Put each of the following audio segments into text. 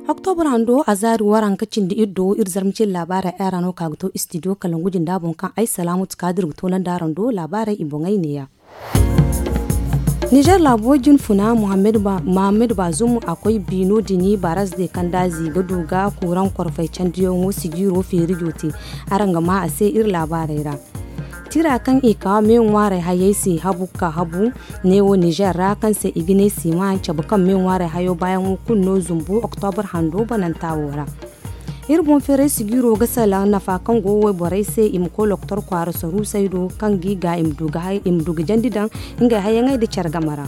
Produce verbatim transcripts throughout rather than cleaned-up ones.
Oktobra hando a zaari waranka cindi iri do iri zarma cindi laabaarey ay ra no ka ga to istidiyo kala ngu jinda boŋ kaŋ ay salaamatu ka dira ga toonandi araŋ do laabaarey i boŋey neeya. Nizer laabo jinfuna muhammad bazum a koy biino dini baraz de kandaazi ga du ga kuuraŋ korfey candiyaŋo sijiiro feerijo te. Araŋ ga maa a se iri laabaarey ra. Tira kaŋ i ka me ŋwaaray hayey se habu ka habu neewo nizer ra kaŋ se i ga ne siima cabe kaŋ me ŋwaaray hayo baayaŋo kulu no zumbu oktobra hando bananta wo ra. Iri boŋ feeray sigiiro ga salaŋ nafa kaŋ go wayborey se i ma koy loktor kwaara saruusey do kaŋ ga i ga i ma du ga jandi daŋ ngey hayaŋey nda care game ra.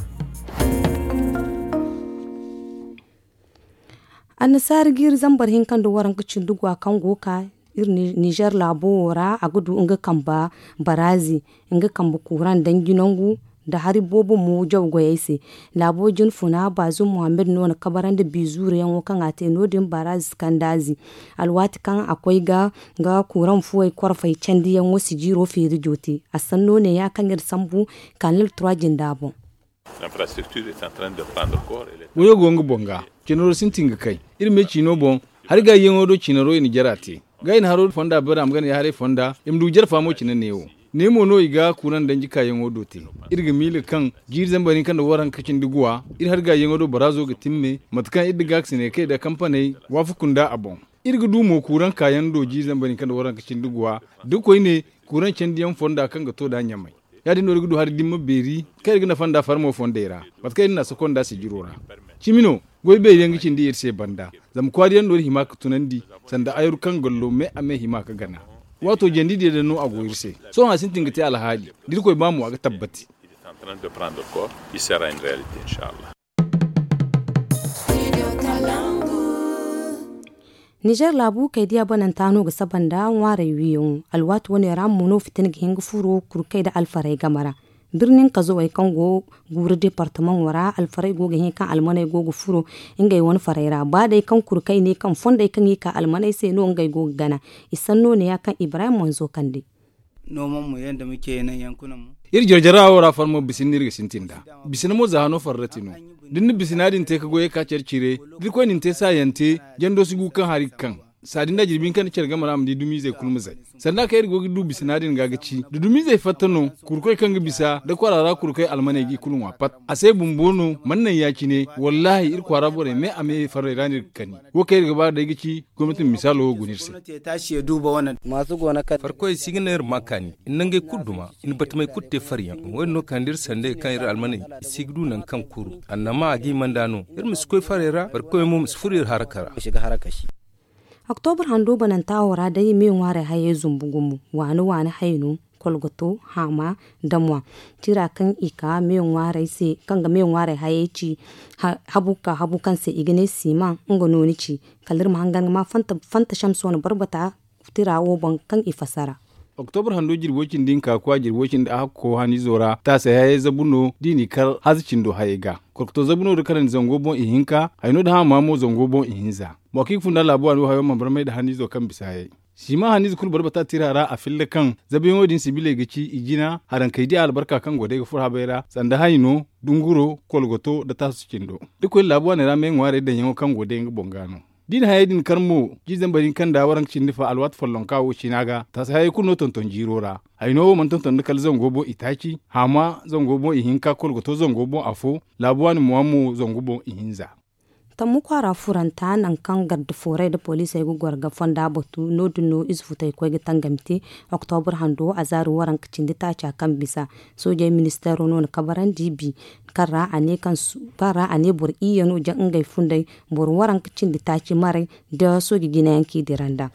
Annasaara jiiri zambar hinka nda waranka cindi gwa kaŋ go ga ka iri nizer laabo wo ra a ga du nga kambe baraazi nga kambe kuuraŋ danji nangu nda hari boobo mo jaw goyey se. Laabo jinfuna baazum muhammad no na kabarandi bizuuruyaŋo kaŋ a te no- din baraazi kandaazi alwaati kaŋ a koy ga kuuraŋ fuwey korfey candiyaŋo sijiiro feerijo te. A sanno neeya kaŋ iri sambu kanal trois jinda boŋ. Wayo go nga boŋ ga cinaro sintin ga kay iri me ciino boŋ. Hari gaayiyaŋo do cinaro i na jara te ga i na haro fonda bari a ma gana ya haray fonda i ma du jara faamo cine neewo. Ne mo no i ga kuuraŋ danji kaayaŋo do te. Iri ga miila kaŋ jiiri zambar hinka nda waranka cindi guwa iri hari gaayiyaŋo do baraazo ga timme mate kaŋ iri da gaakasiney kay nda kampaney waafaku nda a boŋ. Iri ga du mo kuuraŋ kaayaŋ do jiiri zambar hinka nda waranka cindi guwa da koyne kuuraŋ candiyaŋ fonda kaŋ ga to nd'a ɲamay. Ya- din no iri ga du hari dimma beeri kaŋ iri ga nafa nd'a farmo fondey ra mate kaŋ iri na a sokonda sijiro ra. Cimi no goy beeri yaŋ ga cindi iri se banda zama kwaari yaŋ no iri hima ga tunandi sanda ayaru kaŋ gallo me a me hima ga gana. Waato jandi diya din no a go iri se. Sohõ a sintin ga te alhaali da iri koy ba mo a ga tabbati. Nizer laabu kay diya bananta no ga saba nda ŋwaaray wiiyaŋo. Alwaati wane ra mo no fitina ga hin ga furo kurkay nda alfarey game ra. Birnin kazawey kaŋ go guuru departamaŋo ra alfarey go ga hin kaŋ almaney go ga furo ngey wane farey ra ba day kaŋ kurkay ne kaŋ fondey kaŋ i ka almaney se no ngey go ga gana. I sanno neeya kaŋ ibrahim manzo kande. Iri jarjara wo ra farmo bisina no iri ga sintin nd'a. Bisina mo za hano farrati no. Da ni na bisina din te ga goyey ka care cire da irkoy na ni te saayante jando si gu kaŋ hari ga kaŋ. Saadi nda jirbi hinka nda care game ra a ma di dumiizey kulu ma zay. Sanda kaŋ iri go ga du bisina din ga ga ci da dumiizey fatta no kurkoy kaŋ ga bisa da kwaara ra kurkoy almaney ga i kulu ŋwa pat. A se bumbo no mana naŋ ya- cine wallaahi iri kwaara borey me a me farrey ra no iri ga kani. Wo kaŋ iri ga ba day ga ci gomnati ma misaalo wo guna iri se. Farkoy si ga naŋ iri ma kaani iri na ngey kulu duma iri na batamey kulu te faryaŋ. Wo- din no kaani da iri sandey kaŋ iri almaney i si ga du nangu kaŋ kuru annama a ga i manda no. Iri ma si koy farey ra farkoy mo ma si furo iri haraka ra. Oktobra hando bananta wo ra day me ŋwaaray hayey zumbu gumo waani waani hayno kolgoto haama damwa. Tira kaŋ i ka me ŋwaaray se kaŋ ga me ŋwaaray hayey ci habu ka habu kaŋ se i ga ne siman nga no ni ci. Kala iri ma hangan ga ma fanta shamso na barbata tira wo boŋ kaŋ i fassara. Oktobra hando jirbo cindi hinka kwa jirbo cindi ahakko hanizo ra taasay hayey zabu no da i n'i kar haza cindo hayey ga. Kolkoto zabu no da karandi zango boŋ ihinka hayno da haama mo zango boŋ ihinza. Mo kaŋ i ga funda laabu waani wo hayo mana barmay nda hanizo kaŋ bisa hayey. Siman hanize kulu barbata tira ra a filla kaŋ zabuyaŋo din sibiley ga ci i jina harankey di albarka kaŋ go day ga furo habey ra sanda hayno dunguro kolgoto nda taasu cindo. Da koy laabu waaney ra me ŋwaarey daŋyaŋo kaŋ go day nga boŋ ga no. Da i na hayey din kar mo jiizambar hinka nda waranka cindi fa alwaati follonka wo ciina ga taasi hayey kulu no tonton jiiro ra. Hayno wo mana tonton nda kala zango boŋ itaaci haama zango boŋ ihinka kolgoto zango boŋ afo laabu waani mo a mo zango boŋ ihinza. Tammu kwaara furanta nangu kaŋ garde fooray nda poliisey ga goro ga fonda batu no- din no ize futay koy ga tangami te. Oktobra hando azaari waranka cindi taaca kaŋ bisa soojey ministeero no na kabarandi bi kaŋ ra a ne boro iyye no ja ngey funday boro waranka cindi taaci maray nda sooje jinayaŋ kaŋ i dira nd'a.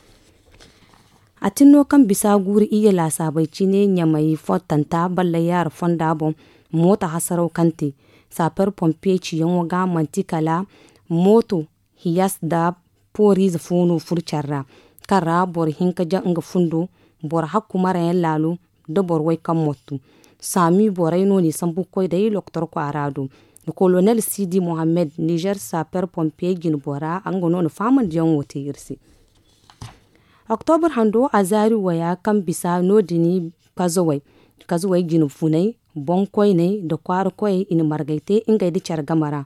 A tin no kaŋ bisa guuru iyye laasaabey cine ɲamay fottanta ballay yaara fonda boŋ mooto hasaraw kaŋ te saaper pompiye ciyaŋo ga manti kala mooto hiyas nda pooriize fo no furo care ra kaŋ ra boro hinka ja nga fundo boro hakku marayaŋ laalo nda boro way kaŋ mottu. Saami borey no n'i sambu ga koy day lokotor kwaara do. Kolonel sidi mohammed nizer saaper pompiye jine bora nga no na faamandiyaŋo te iri se. Oktobra hando azaari waya kaŋ bisa no- din kazawey kazuwey jine funay, boŋkoyney nda kwaara koyey i na margay te ngey nda care game ra,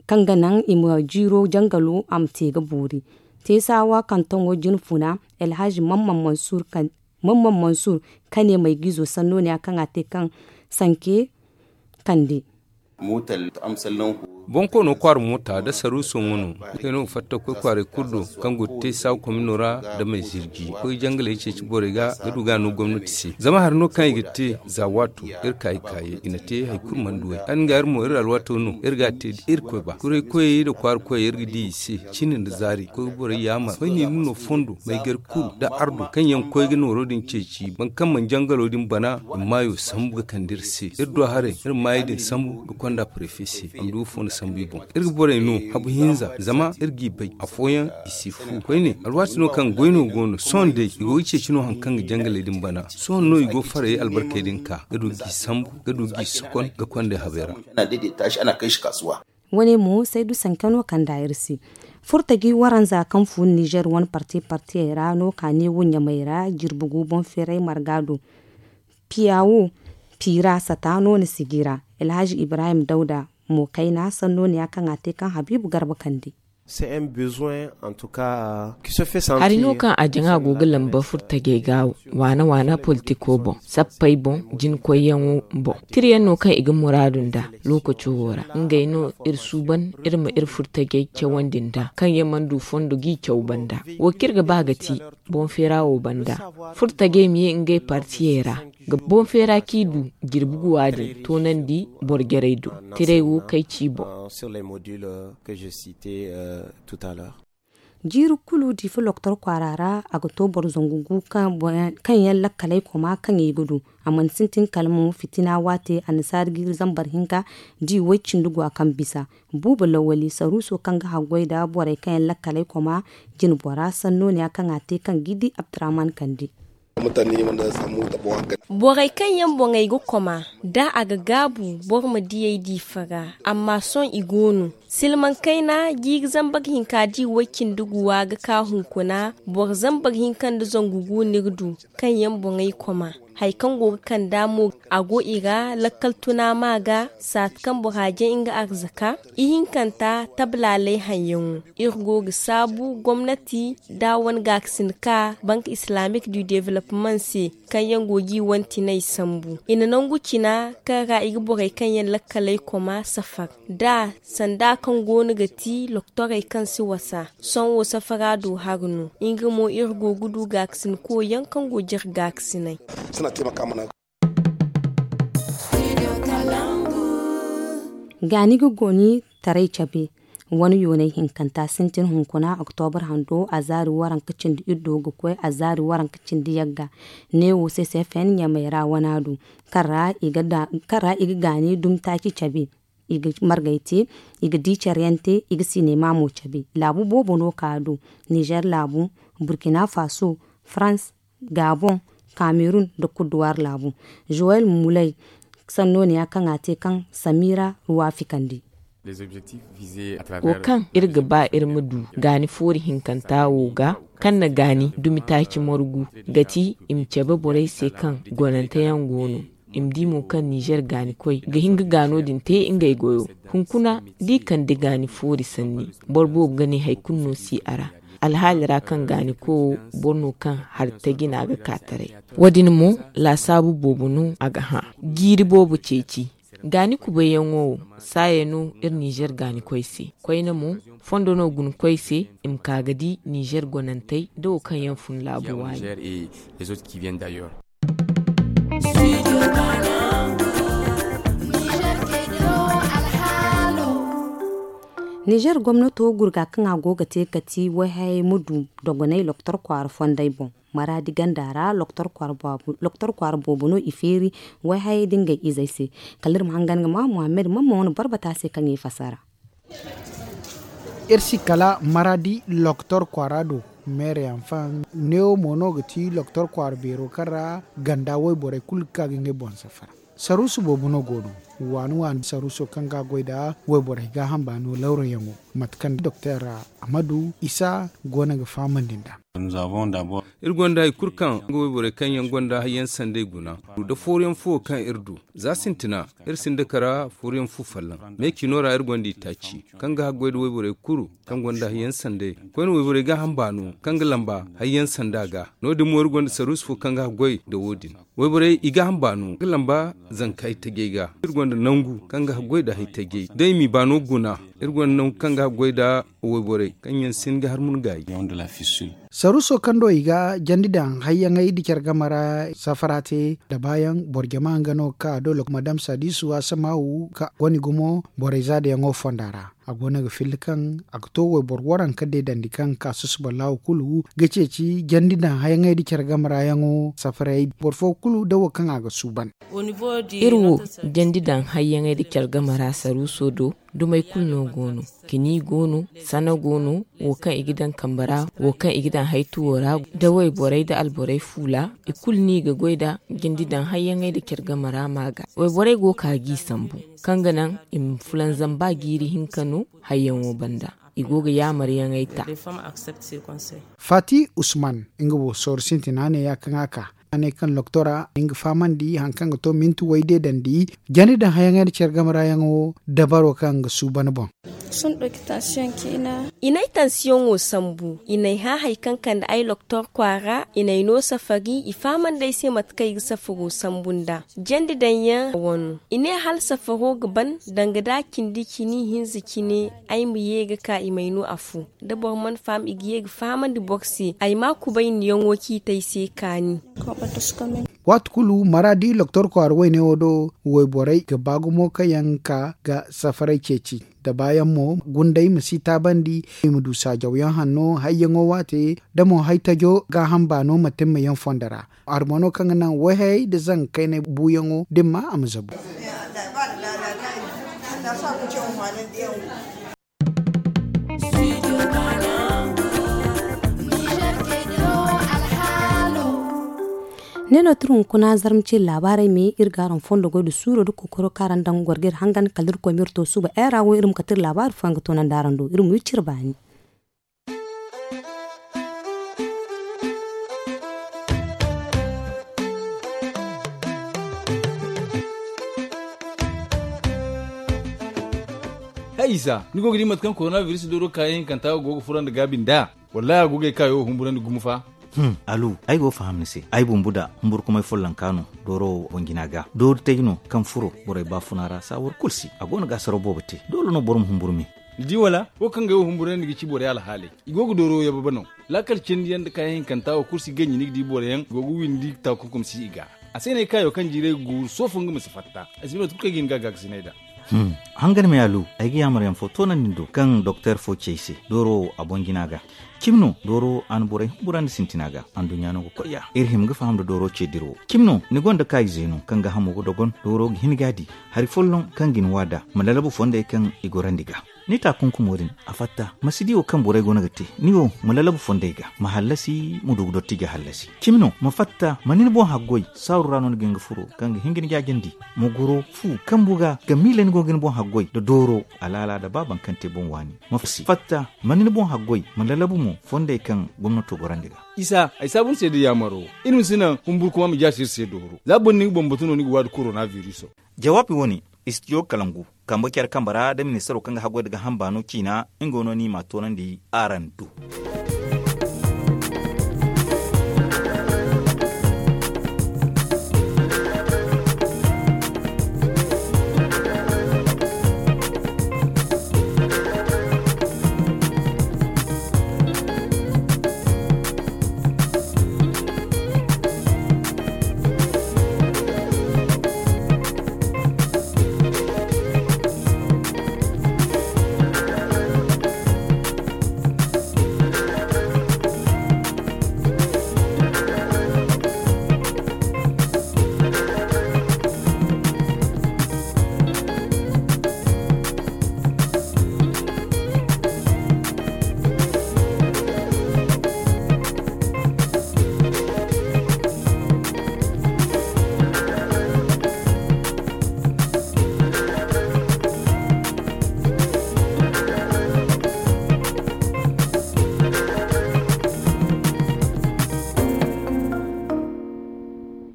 kaŋ ga naŋ i ma jiiro jangalo a ma te ga boori. Teesaawa kantoŋo jine funa, alhaji mamman mansur, kaŋ ne maygizo sanno ne ya kaŋ a te kaŋ sanke kande. Boŋ koono kwaara moota nda saruuso mo no. Ngey no ga fatta ga koy kwaaray kulu do, kaŋ go ga te saawa komino ra nda may zirji ga koy jangaley ceeci borey ga ga du ga a no gomnati se. Zama hari no kaŋ i ga te za waato, iri ka i kaayey i na te hari kulu mana duw'ey. Hari nga iri mo iri alwaato no iri ga a te da iri koy ba kuray koyey nda kwaara koyey iri ga di i se. Cine nda zaari ga koy ga borey yaamar koyne iri no fondo may gar kulu nda ardo kaŋ yaŋ ga koy ga nooro din ceeci boro kaŋ mana jangalo din bana i ma maayo sambu ga kande iri se. Iri du haray iri maayey din sambu ga konda prefe se a ma du ga fondo sambu i boŋ. Iri ga borey no habu hinza zama iri g'i bay afooyaŋ i si fu koyne alwaati no kaŋ goy no go no sohõ day i go ga ceeci no hari kaŋ ga jangaley din bana. Sohõ no i go farayey albarkey din ka ga du g'i sambu ga du g'i sokon ga kond'ey habey ra. Wane mo saydu sanke no kand'a iri se. Furtaji waranza kaŋ fun nizer wane parti partiyey ra no ka ne wo ɲamey ra jirbi gu boŋ feeray marga do. Piya wo piira sata no na sijira. Alhaji ibrahim dawda mo kayna sanno ne ya kaŋ a te kaŋ habiibu garba kande. Hari no kaŋ a jaŋa go ga lamba furtajey ga waana waana politiko boŋ, sappey boŋ, jinkoyyaŋo boŋ. Tirayaŋ no kaŋ i ga muraadu nd'a lookaco wo ra. Ngey no iri suuban iri ma iri furtajey cawandi nd'a kaŋ yaŋ mana du fondo g'i caw banda. Wo kaŋ iri ga ba ga ti boŋ feera wo banda. Furtajey ma ye ngey partiyey ra ga boŋ feera kaŋ i du jirbi guwa din toonandi boro jarey do. Tiray wo kay ci boŋ. Jiiri kulu diifa loktor kwaara ra a ga to boro zangu gu kaŋ yaŋ lakkaley koma kaŋ i ga du. A mana sintin kala mo fitina waate annasaari jiiri zambar hinka di way cindi gwa kaŋ bisa. Buuba lawali saruuso kaŋ ga haggoy nda borey kaŋ yaŋ lakkaley koma jinbora sanno ne ya kaŋ a te kaŋ g'i di abdurahman kande. Borey kaŋ yaŋ boŋey ga koma da a ga gaabu boro ma diyey diifa ra. Amma sohõ i go no silmaŋ kayna jiiri zambar hinka di way cindi guwa ga ka hunkuna boro zambar hinka nda zangu gu no iri du. Kaŋ yaŋ boŋey koma hari kaŋ go ga kand'a mo a go i ra lakkal tuna ma ga saati kaŋ bora jaŋ nga arzaka. Ihinkanta tablaaley haŋyaŋo iri go ga saabu gomnati da a wane gaakasin ka bank islamic du development se kaŋ yaŋ go g'i wane tinay sambu. I na nangu cina kaŋ ra i ga borey kaŋ yaŋ lakkaley koma safar da sanda kaŋ go no ga ti loktorey kaŋ si wasa. Sohõ wo safara do hari no nga mo iri go ga du gaakasin koyyaŋ kaŋ go jire gaakasinay. Gaani ga goni taray cabe wane yoonay hinkanta sintin hunkuna oktobar hando azaari waranka cindi iddo ga koy azaari waranka cindi yagga. Neewo ccfn ɲamay ra wana do kaŋ ra i ga gaani dumi taaci cabe. I ga margay te, i ga di care yaŋ te, i ga sinema mo cabe. Laabu boobo no ka do nizer laabu, burkina faso, farans, gabon, kamerun nda kuduwar laabu. Joel mulay sanno ne ya kaŋ a te kaŋ samira ruwafi kande. Wo kaŋ iri ga ba iri ma du gaani foori hinkanta wo ga kaŋ na gaani dumi taaci margu ga ti i ma cabe borey se kaŋ gonante yaŋ go no. I ma di mo kaŋ nizer gaanikoy ga hin ga gaano din te ngey goyo. Hunkuna da i kande gaani foori sanni boro boobo ga ne hari kulu no si a ra. Alhaali ra kaŋ gaaniko wo boro no kaŋ hari taji no a ga ka taray. Wo- din mo laasaabu boobo no a ga hã. Jiiri boobo ceeci gaani kubayyaŋo wo saaya no iri nizer gaanikoy se. Koyne mo fondo no guna koy se i ma ka ga di nizer gonantey da wo kaŋ yaŋ fun laabu waani. Nizer gomnato gurga kaŋ a go ga te kati wayhayay ma du dogonay loktor kwaara fondey boŋ. Maraadi ganda ra loktor kwaara boobo no i feeri wayhayay da ngey izey se. Kala iri ma hangan ga ma muhammad mamma wane barbata se kaŋ i fasara. Iri si kala maraadi loktor kwaara do. Meere yaŋ faŋ neewo mo no ga ti loktor kwaara beero kaŋ ra ganda wayborey kulu ga ka ga ngey boŋ safara. Saruusu boobo no go no. Waani waani saruuso kaŋ ga goy nda wayborey gaaham baano lawrayaŋo mate kaŋ doktor amadu isa go no ga fahamandi nd'a. Iri gonda hari kulu kaŋ nga wayborey kaŋ yaŋ gonda hayyaŋ sanday guna, da fooruyaŋ fo kaŋ iri du. Za sintina, iri sinda kara fooruyaŋ fu folloŋ. Me cino ra iri gonda itaaci kaŋ ga haggoy nda wayborey kulu kaŋ gonda hayyaŋ sanday. Koyne wayborey ga hamba no kaŋ ga lamba hayyaŋ sanda ga. No- din mo iri gonda saruusu fo kaŋ ga haggoy nda wo- din. Wayborey i ga hamba no ga lamba zanka haytajey ga. Iri gonda nangu kaŋ ga haggoy nda haytajey da i m'i ba no guna. Iri gonda nangu kaŋ ga haggoy nda wayborey kaŋ yaŋ sin ga har mun gaayi. Saruuso kaŋ do i ga jandi daŋ hayyaŋey nda care game ra safara te nda baayaŋ boro jama nga no ga ka a do lokma dam saadiisu a samaawu ka wane gumo borey za da yaŋo fonda ra. A go no ga filla kaŋ a ga to wayboro waranka deedandi kaŋ ga ka susuba laawo kulu ga ceeci jandi daŋ hayyaŋey nda care game ra yaŋo safarey boro fo kulu da wo kaŋ a ga suuban. Iri wo jandi daŋ hayyaŋey nda care game ra saruuso do dumey kulu no go no. Kini go no, sana go no, wo kaŋ i ga daŋ kambe ra, wo kaŋ i ga daŋ haytuwo ra, da wayborey da alborey fuula, i kulu no i ga goy nda jandi daŋ hayyaŋey nda care game ra ma ga. Wayborey go ga ka g'i sambu kaŋ ga naŋ i ma fulanzam ba jiiri hinka no hayyaŋo banda. I go ga yaamaryaŋey ta. Faati usman nga wo sooru sintina ne ya kaŋ a ka a ne kaŋ loktora nga fahamandi hari kaŋ ga to minti way deedandi jandi daŋ hayyaŋey nda care game ra yaŋo dabaro kaŋ ga suuban boŋ. I n'ay tansiyoŋo sambu, i n'ay hã hari kaŋ kande ay loktor kwaara, i n'ay no safari, i fahamandi ay se mate kaŋ ay ga safaro sambu nd'a. Jandi daŋ yaŋ wano i ne hala safaro ga ban danga da cindi cini hinza cine. Ay ma ye ga ka i m'ay no afo da boro mana faham i ga ye ga fahamandi boro se ay ma kubayniyaŋo ciiti ay se kaani. Waati kulu maraadi loktor kwaara wayne wo do wayborey ga ba gumo kaŋ yaŋ ka ga safaray ceeci da baayaŋ mo gunday ma si taabandi i ma du saajawyaŋ hanno hayyaŋo waate da mo haytajo gaaham baano ma timma yaŋ fondo ra. Harmano kaŋ ga naŋ wayhayey nda zanga kaynay buuyaŋo da ni ma a ma zabu. Ne no tira hunkuna zarma ciri laabaarey me iri ga araŋ fondo goy nda suuro nda kokoro kaŋ araŋ daŋ gorgey ra hangan kala iri koy ma iri to suba era wo iri ma kate iri laabaari fooyaŋ ga toonandi araŋ do iri ma wi cire baani. Hay isa ni go ga di mate kaŋ korona biris dooro kaayaŋ hinkanta go ga furo nda gaabi nd'a? Wallahi a go ga ay kaayo humburandi gumo fa. Alu, ay go ga faham ni se. Ay bumbu da humburkumay follonka no dooro wo boŋ jina ga doori tay no kaŋ furo borey baafuna ra saawar kulu se a go no ga asaro boobo te doole no boro ma humburu me. Ni di wala? Wo kaŋ ga ay wo humburandi ga ci borey alhaaley. I go ga dooro yababe no. Laakal cindi yaŋ nda kaayaŋ hinkanta wo kulu si ganji ni ga di boro yaŋ go ga windi taakurkum si i ga. A se no ay kaayo kaŋ jiiray ga guuru soofo nga ma si fatta. Ay si bay mate kulu kaŋ ay ga hin ga a gaakasinay nd'a. Hangan me alu, ay ga yaamar yaŋ fo toonandi ni do kaŋ doktor fo ci ay se dooro wo a boŋ jina ga. Cimi no dooro wo a na borey humburandi sintina ga anduɲɲa no ga koy ya iri hima ga faham nda dooro ce dira wo. Cimi no ni gonda kaayi zeeno kaŋ gaahamo ga dogon dooro ga hin ga a di hari folloŋ kaŋ ga ni wa nd'a ma lalabu fondey kaŋ i gorandi ga. Ni taakunkumo din a fatta ma si di wo kaŋ borey go no ga te. Ni wo ma lalabu fondey ga ma hallasi ma du ga dotti ga hallasi. Cimi no ma fatta ma ni ni boŋ haggoy saaru ra no ni ga hin ga furo kaŋ ga hin ga ni jaajandi. Ma goro fu kambu ga ga miila ni go ga ni boŋ haggoy nda dooro alaala nda baaban kaŋ te boŋ waani. Ma fatta ma ni ni boŋ haggoy ma lalabu mo fondey kaŋ gomnato gorandi ga. Isa ay saabu ni se da yaamaro iri ma si naŋ humburkuma ma jaasi iri se dooro za boro ni ga bambatu no ni ga waadi korona biriso. Jawaabi wo-ne istijo kalangu kambe care kambe ra da ministaro kaŋ ga haggoy nda gaaham baano ciina nga wo no ni m'a toonandi araŋ do.